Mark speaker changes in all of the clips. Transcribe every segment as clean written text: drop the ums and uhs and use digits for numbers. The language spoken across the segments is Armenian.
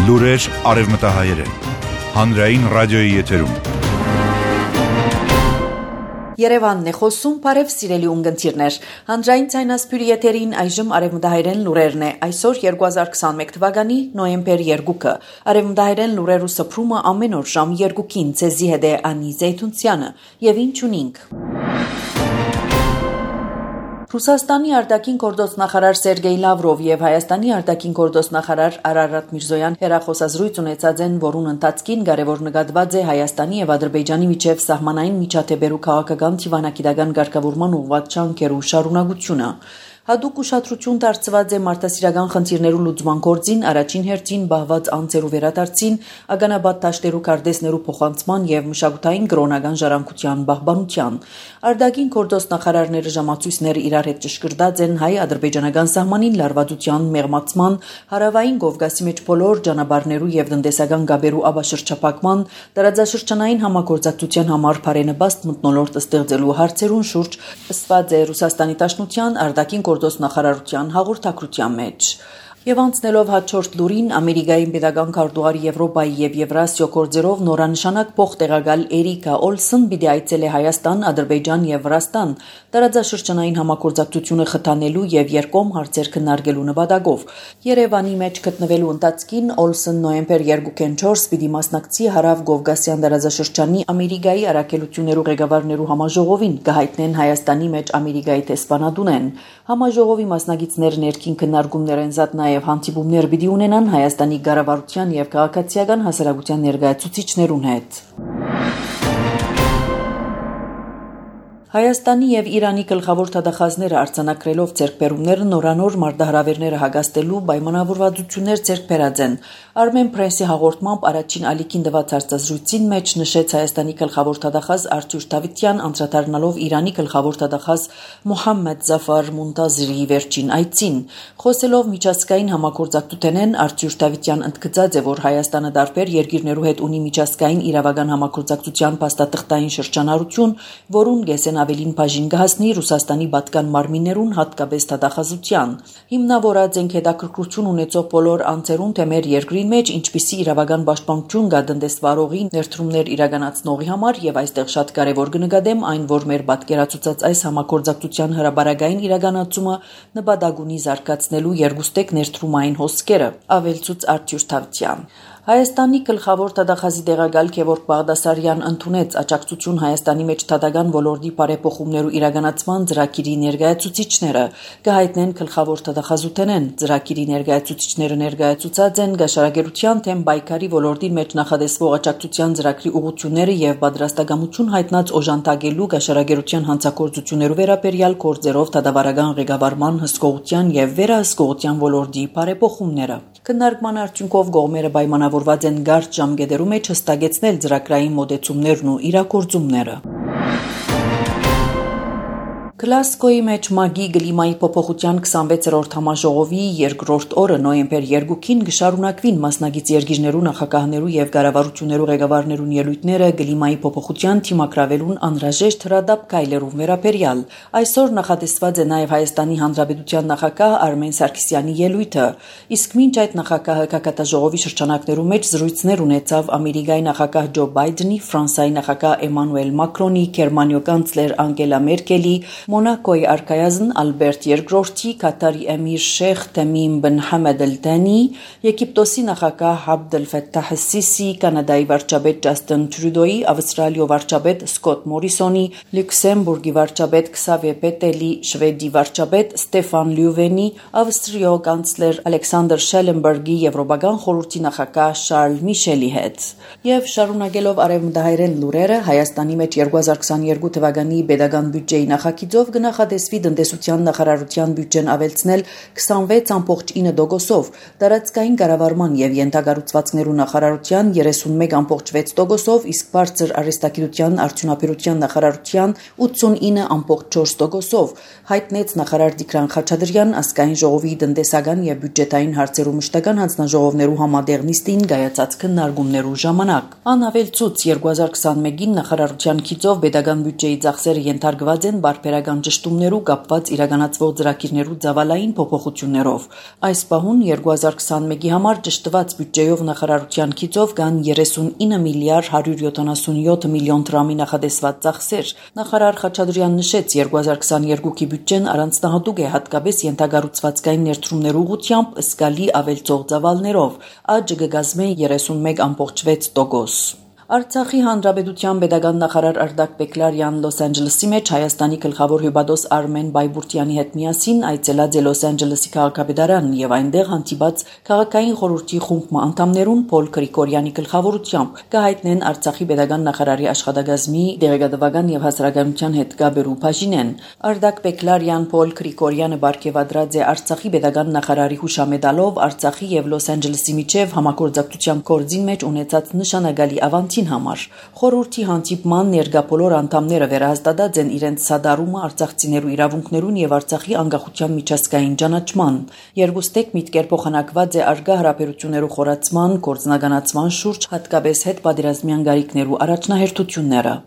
Speaker 1: Լուրեր արևմտահայերեն, հանրային ռադիոյի եթերում։
Speaker 2: Երևանն է խոսում, բարև սիրելի ունգընտիրներ։ Հանրային ցայնասպյուրի եթերին այժմ արևմտահայերեն լուրերն է։ Այսօր 2021 թվականի նոյեմբեր 2-ը։ Արևմտահայերեն լուրերու սփռումը ամեն օր ժամ 2-ին ցեզի հետ է Անի Զեյթունցյանը։ Եվ ինչ ունենք։ Ռուսաստանի արտաքին գործոստնախարար Սերգեյ Լավրով եւ Հայաստանի արտաքին գործոստնախարար Արարատ Միրզոյան հերախոսազրույց ունեցած են, որուն ընթացքին կարևոր նկատված է Հայաստանի եւ Ադրբեջանի միջև սահմանային միջադեպերու քաղաքական դիվանագիտական ղեկավարման ուղղված ջանքերու շարունակությունը։ Հատուկ ուշադրություն դարձված է մարդասիրական խնդիրներու լուծման գործին, առաջին հերթին բահված անձերու վերադարձին, ականաբադ դաշտերու կարդեսներու փոխանցման եւ մշակութային կրոնական ժառանգության պահպանության։ Արտաքին գործոստնախարարները ժամացույցներ իրար հետ ճշգրտած են հայ-ադրբեջանական սահմանին լարվածության մեղմացման, հարավային Կովկասի մեջ բոլոր ճանապարհներու եւ տնտեսական գաբերու աբաշրջապակման, տարածաշրջանային համագործակցության համար բարենպաստ մթնոլորտ ստեղծելու հարցերուն շուրջ ըսված է Ռուսաստանի Դաշնության արտաքին գործոստնախարարության հաղորդակցության մեջ։ Եվ անցնելով հաջորդ լուրին, Ամերիկայի պետական քարտուղար Եվրոպայի եւ Եվրասիա գործերով նորանշանակ փոխտեղակալ Էրիկա Օլսն պիտի այցելե Հայաստան, Ադրբեջան եւ Վրաստան տարածաշրջանային համագործակցությունը խթանելու եւ երկկողմ հարցեր քննարկելու նպատակով։ Երևանի մեջ գտնվելու ընթացքին Օլսն նոյեմբեր 2-ին 4 պիտի մասնակցի Հարավ Կովկասյան տարածաշրջանի Ամերիկայի առաքելություններու ղեկավարներու համաժողովին, կհայտնեն Հայաստանի մեջ Ամերիկայի տեսփանատունեն։ Համաժողովի մասնակիցներ ներքին քննարկումներ են զատ եւ հանդիպումներ պիտի ունենան Հայաստանի կառավարության եւ քաղաքացիական հասարակության ներկայացուցիչներուն հետ։ Հայաստանի եւ Իրանի գլխավոր դատախազները արձանագրելով ձեռքբերումները նորանոր մարտահրավերները հագաստելու պայմանավորվածություններ ձեռք բերած են։ Armen Press-ի հաղորդմամբ առաջին ալիքին տված հարցազրույցին մեջ նշեց Հայաստանի գլխավոր դատախազ Արտուր Դավթյան, անդրադառնալով Իրանի գլխավոր դատախազ Մոհամմեդ Զաֆար Մունտազիրի վերջին այցին։ Խոսելով միջազգային համագործակցութենեն, Արտուր Դավթյան ընդգծած է, որ Հայաստանը տարբեր երկիրներու հետ ունի միջազգային իրավական համագործակցության փաստաթղթային շրջանառություն, որուն գեսեն ավելին բաժին կհասնի Ռուսաստանի պատկան մարմիններուն հատկապես դատախազության։ Հիմնավորած ենք հետաքրքրություն ունեցող բոլոր անձերուն թե մեր երկրի մեջ ինչպիսի իրավական պաշտպանություն կա տնտեսվարողի ներդրումներ իրականացնողի համար եւ այստեղ շատ կարեւոր կնկատեմ այն, որ մեր պատկերացուցած այս համագործակցության հրաբարագային իրականացումը նպատակ ունի զարգացնելու երկուստեք ներդրումային հոսքերը, ավելցուց Արտուր Դավթյան։ Հայաստանի գլխավոր դատախազի տեղակալ Գևորգ Բաղդասարյան ընդունեց աջակցություն Հայաստանի մեջ դատական ոլորտի բարեփոխումներու իրականացման ծրագիրի ներկայացուցիչները, կհայտնեն գլխավոր դատախազութենեն։ Ծրագիրի ներկայացուցիչները ներկայացուցած են գաշարագերության թեմ պայքարի ոլորտի մեջ նախադեсվող աջակցության ծրագրի ուղղությունները եւ պատրաստակամություն հայտնած օժանդակելու գաշարագերության հանցագործություններու վերաբերյալ գործերով դատավարական ղեկավարման հսկողության եւ վերահսկողության ոլորտի բարեփոխումները։ Քննարկման արդյունքով կողմերը պայմանավորված են կարճ ժամկետերու մեջ հստակեցնել ծրագրային մոտեցումներն ու իրագործումները։ Գլասգոյի մեջ ՄԱԳ-ի կլիմայի փոփոխության 26-րդ համաժողովի երկրորդ օրը նոյեմբեր 2-ին կշարունակվին մասնակից երկիրներու նախագահներու եւ կառավարություններու ղեկավարներուն ելույթները կլիմայի փոփոխության թիմակրավելուն անհրաժեշտ հրադապ քայլերով վերաբերյալ։ Այսօր նախատեսված է նաեւ Հայաստանի Հանրապետության նախագահ Արմեն Սարգսյանի ելույթը, իսկ մինչ այդ նախագահը կակատաժողովի շրջանակներու մեջ զրույցներ ունեցավ Ամերիկայի նախագահ Ջո Բայդենի, Ֆրանսիայի նախագահ Էմանուել Մակրոնի, Գերմանիոյ կանցլեր Անգելա Մերկելի, Մոնակոյի արքայազն Ալբերտ II, Կատարի էմիր Շեյխ Թեմիմ բն Համեդ Ալ-Թանի, Եգիպտոսի նախագահ Աբդ Ալ-Ֆաթահ Ալ-Սիսի, Կանադայի վարչապետ Ջասթին Տրյուդոյի, Ավստրալիայի վարչապետ Սկոտ Մորիսոնի, Լյուքսեմբուրգի վարչապետ Քսավիե Պետելի, Շվեդի վարչապետ Ստեֆան Լյուվենի, Ավստրիայի կանցլեր Ալեքսանդր Շելենբերգի, Եվրոպական խորհրդի նախագահ Շարլ Միշելի հետ։ Եվ շարունակելով արևմտահայերեն լուրերը, Հայաստանի մեջ 2022 թվականի պետական բյուջեի նախագիծով կնախադեсվի տնտեսության նախարարության բյուջեն ավելցնել 26.9%, տարածքային կառավարման եւ ենթակառուցվածքներու նախարարության 31.6%, իսկ բարձր արհեստագիտության արդյունաբերության նախարարության 89.4%, հայտնեց նախարար Տիգրան Խաչատրյան ազգային ժողովի տնտեսական եւ բյուջետային հարցերու մշտական հանձնաժողովներու համատեղ նիստին կայացած քննարկումներու ժամանակ։ Անավելցուց 2021-ին նախարարության քիծով պետական բյուջեի ծախսերը ենթարկված են բարբերական բարոյական ճշտումներու կապված իրականացվող ծրագիրներու ծավալային փոփոխություններով։ Այս պահուն 2021-ի համար ճշտված բյուջեով նախարարության քիծով կան 39 միլիարդ 177 միլիոն դրամի նախադեсված ծախսեր։ Նախարար Խաչատրյան նշեց, 2022-ի բյուջեն առանձնահատուկ է հատկապես ենթագառուցվածքային ներդրումներու ուղղությամբ զգալի ավելցող ծավալներով, աճը կգազմի 31.6%։ Արցախի հանրապետության պետական նախարար Արտակ Բեկլարյան Լոս Անջելեսի մեջ Հայաստանի գլխավոր հյուպատոս Արմեն Բայբուրտյանի հետ միասին այցելած է Լոս Անջելեսի քաղաքապետարան եւ այնտեղ հանդիպած քաղաքային խորհրդի խումբ անդամներուն Փոլ Գրիգորյանի գլխավորությամբ կհայտնեն Արցախի պետական նախարարի աշխատակազմի դեղեկատվական եւ հասարակայնության հետ կապերու բաժինեն։ Արտակ Բեկլարյան Փոլ Գրիգորյանը բարգեւադրած է Արցախի պետական նախարարի հուշամեդալով Արցախի եւ Լոս Անջելեսի միջև համագործակցության կորձին մեջ ունեցած նշանակալի ավանդին համար։ Խորհրդի հանդիպման ներկա բոլոր անդամները վերահաստատած են իրենց սադարումը արցախցիներու իրավունքներուն եւ Արցախի անկախության միջազգային ճանաչման։ Երկուստեք միտքեր փոխանակված է արգա հարաբերություններու խորացման, գործնականացման շուրջ, հատկապես հետ պատերազմյան գարիկներու առաջնահերթությունները։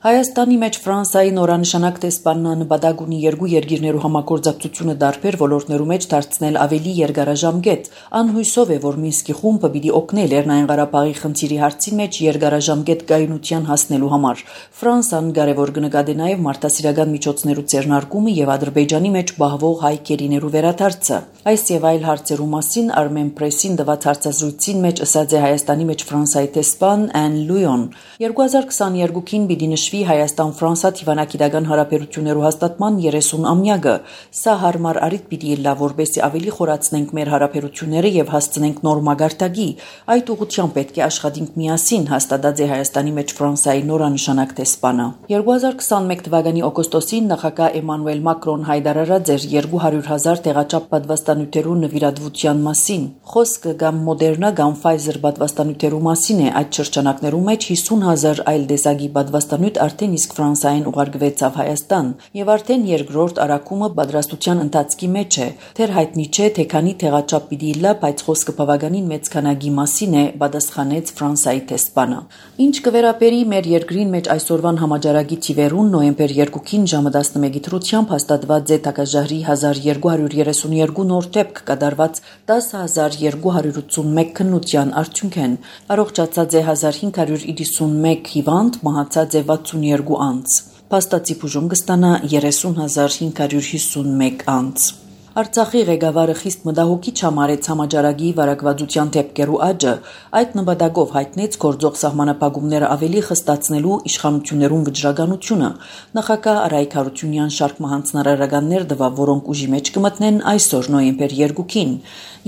Speaker 2: Հայաստանի մեջ Ֆրանսիայի նորանշանակ տեսփանն նպատակ ունի երկու երկիրներու համագործակցությունը տարբեր ոլորտներու մեջ դարձնել ավելի երկարաժամկետ։ Անհույսով է, որ Մինսկի խումբը պիտի օգնի Լեռնային Ղարաբաղի խնդիրի հարցի մեջ երկարաժամկետ կայունության հասնելու համար։ Ֆրանսիան կարևոր կնկատի նաև մարդասիրական միջոցներու ձեռնարկումը եւ Ադրբեջանի մեջ բահվող հայ կերիներու վերադարձը։ Այս եւ այլ հարցերու մասին Armen Press-ին տված հարցազրույցին մեջ ասաց է Հայաստանի մեջ Ֆրանսիայի տեսփան Ան Լույոն։ 2022-ին պիտի նշվի Հայաստան-Ֆրանսա թիվանակիտական հարաբերություններու հաստատման 30-ամյակը։ Սա հարմար առիթ պիտի լա, որպեսզի ավելի խորացնենք մեր հարաբերությունները եւ հասցնենք նոր մագարտակի։ Այդ ուղղությամբ պետք է աշխատենք միասին, հաստատած է Հայաստանի մեջ Ֆրանսիայի նորանշանակ տեսփանը։ 2021 թվականի օգոստոսին նախագահ Էմանուել Մակրոն հայտարարած էր 200,000 տեղաչափ պատվաստանյութերու նվիրատվության մասին։ Խոսքը կամ Մոդերնա կամ Pfizer պատվաստանյութերու մասին է։ Այդ շրջանակներու մեջ 50,000 այլ դեսագի պատվաստանյութ արդեն իսկ Ֆրանսիային ուղարկվեցավ Հայաստան եւ արդեն երկրորդ արակումը պատրաստության ընթացքի մեջ է։ Թեր հայտնի չէ, թե քանի տեղաչափ պիտի լա, բայց խոսքը բավականին մեծ քանակի մասին է, պատասխանեց Ֆրանսիայի տեսփանը։ Ինչ կվերապերի մեր երկրին մեջ այսօրվան համաճարակի թիվերուն նոյեմբեր 2-ին ժամը 11-ի դրությամբ հաստատված է Թակաժահրի 1232 նոր դեպք կատարված 10,281 քննության արդյունքեն։ Առողջացած է 1591 հիվանդ, մահացած է 62 անձ։ Փաստացի բուժում կստանա 30,551 անձ։ Արցախի ղեկավարը խիստ մտահոգիչ համարեց համաճարակի վարակվածության դեպքերու աճը, այդ նպատակով հայտնեց գործող սահմանափակումները ավելի խստացնելու իշխանություններուն վճռականությունը։ Նախագահ Արայք Հարությունյան շարք հանձնարարականներ տվավ, որոնք ուժի մեջ կմտնեն այսօր նոյեմբեր 2-ին։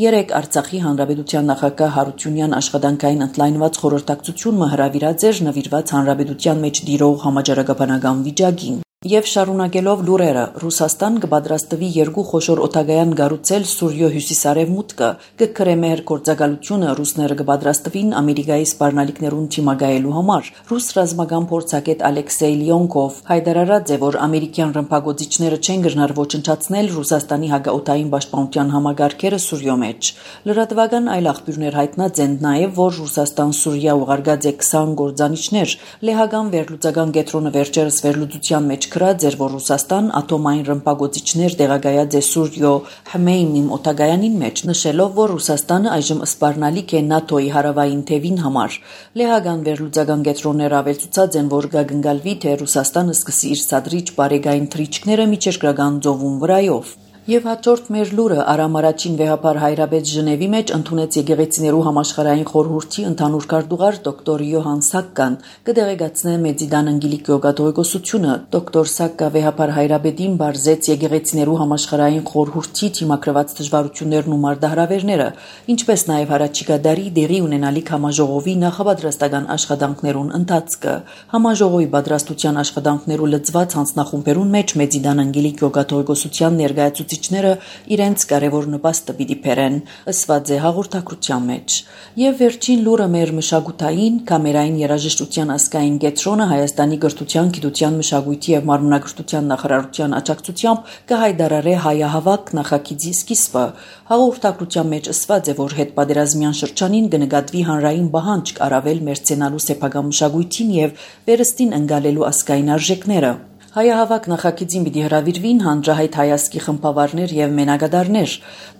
Speaker 2: Երեկ Արցախի հանրապետության նախագահ Հարությունյան աշխատանքային ընդլայնված խորհրդակցություն հրավիրած էր նվիրված հանրապետության մեջ տիրող համաճարակաբանական վիճակին։ Եվ շարունակելով լուրերը, Ռուսաստան կպատրաստվի երկու խոշոր օտագայան կառուցել Սուրյո հյուսիսարևմուտքը, կգրե մեր գործակալությունը ռուսները կպատրաստվին Ամերիկայի սպառնալիքներուն թիմակայելու համար։ Ռուս ռազմական փորձագետ Ալեքսեյ Լիոնկով հայտարարած է, որ ամերիկյան ռմբակոծիչները չեն գնար ոչնչացնել Ռուսաստանի հակաօդային պաշտպանության համագարքերը Սուրյո մեջ։ Լրատվական այլ աղբյուրներ հայտնած են նաև, որ Ռուսաստան-Սուրիա ուղարկած է 20 գործանիչներ։ Լեհական վերլուծական կենտրոնը վերջերս վերլուծության մեջ գրած էր, որ Ռուսաստան ատոմային ռմբակոծիչներ տեղակայած է Սուրյո Հմեյմիմ օտագայանին մեջ, նշելով, որ Ռուսաստանը այժմ սպառնալիք է ՆԱՏՕ-ի հարավային թևին համար։ Լեհական վերլուծական կենտրոնները ավելցուցած են, որ կգնկալվի, թե Ռուսաստանը սկսի իր սադրիչ բարեկային թռիչքները միջերկրական ծովում վրայով։ Եվ հաջորդ մեր լուրը Արամ առաջին վեհապար Հայրապետ Ժնևի մեջ ընդունեց եկեղեցիներու համաշխարհային խորհրդի ընդհանուր քարտուղար դոկտոր Յոհան Սակկան կդեղեկացնե Մեծիդան անգելիկ գյուղատողիկոսությունը։ Դոկտոր Սակկա վեհապար Հայրապետին բարձեց եկեղեցիներու համաշխարհային խորհրդի թիմակրված դժվարություններն ու մարտահրավերները, ինչպես նաև հարաճիկա դարի դեղի ունենալիք համաժողովի նախապատրաստական աշխատանքներուն ընթացքը։ Համաժողովի պատրաստության աշխատանքներու լծված հանձնախումբերուն մեջ Մեծիդան անգելիկ գյուղատողիկոսության ներկայացուցիչ գործիչները իրենց կարևոր նպաստը պիտի բերեն, ըսված է հաղորդակցության մեջ։ Եվ վերջին լուրը մեր մշակութային կամերային երաժշտության ազգային կենտրոնը Հայաստանի գրթության, գիտության, մշակույթի եւ մարմնագրթության նախարարության աջակցությամբ կհայտարարի հայահավաք նախագիծի սկիզբը։ Հաղորդակցության մեջ ըսված է, որ հետպատերազմյան շրջանին կնկատվի հանրային պահանջ առավել մերձենալու սեփական մշակույթին եւ վերստին ընկալելու ազգային արժեքները։ Հայահավաք նախագիծին պիտի հրավիրվին հանրահայտ հայազգի խմբավարներ եւ մենակատարներ։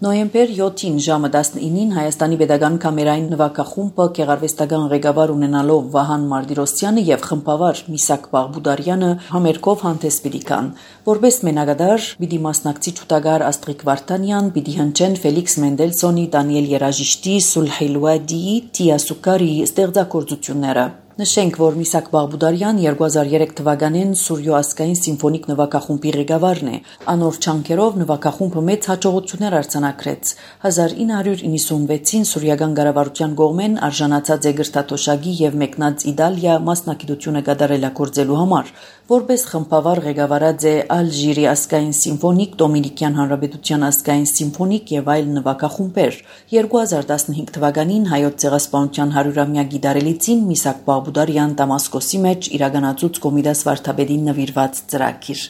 Speaker 2: Նոյեմբեր 7-ին ժամը 19-ին Հայաստանի Պետական կամերային նվագախումբը գեղարվեստական ղեկավար ունենալով Վահան Մարտիրոսյանը եւ խմբավար Միսակ Բաղբուդարյանը համերգով հանդես պիտի գան։ Որպես մենակատար պիտի մասնակցի ճուտագար Աստրիկ Վարդանյան, պիտի հնչեն Ֆելիքս Մենդելսոնի, Դանիել Երաժիշտի, Սուլհեյլուադիի, Տիա Սուկարի ստեղծագործությունները։ Նշենք, որ Միսակ Բաղբուդարյան 2003 թվականին Սուրյո ազգային սիմֆոնիկ նվագախումբի ղեկավարն է։ Անոր չանքերով նվագախումբը մեծ հաջողություններ արձանագրեց։ 1996-ին սուրյական կառավարության կողմեն արժանացած է գրթաթոշակի եւ մեկնած Իտալիա մասնակցությունը կատարելագործելու համար։ Որպես խմբավար ղեկավարած է Ալժիրի ազգային սիմֆոնիկ, Դոմինիկյան Հանրապետության ազգային սիմֆոնիկ եւ այլ նվագախումբեր։ 2015 թվականին հայոց ցեղասպանության 100-ամյակի դարելիցին Միսակ Բաղբուդարյան Դամասկոսի մեջ իրականացուց Կոմիտաս վարդապետին նվիրված ծրագիր։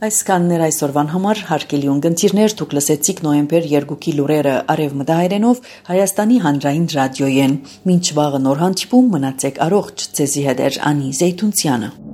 Speaker 2: Այսքանն էր այսօրվան համար, հարգելի ունկնդիրներ, դուք լսեցիք նոյեմբեր 2-ի լուրերը արևմտահայերենով Հայաստանի հանրային ռադիոյեն։ Մինչ վաղը նոր հանդիպում, մնացեք առողջ, ձեզի հետ է Անի Զեյթունցյանը։